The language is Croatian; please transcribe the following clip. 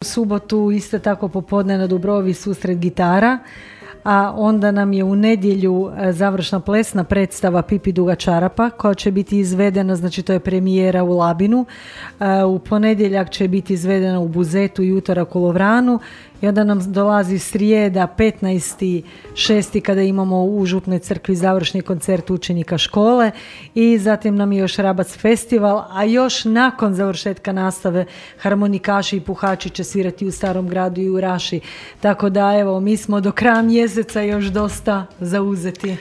U subotu isto tako popodne na Dubrovi susret gitara, a onda nam je u nedjelju završna plesna predstava Pipi duga čarapa koja će biti izvedena, znači to je premijera u Labinu, u ponedjeljak će biti izvedena u Buzetu i utorak u Lovranu i onda nam dolazi srijeda 15.6. kada imamo u Župnoj crkvi završni koncert učenika škole i zatim nam je još Rabac festival, a još nakon završetka nastave harmonikaši i puhači će svirati u Starom gradu i u Raši, tako da evo mi smo do kraja mjeseca još dosta zauzeti.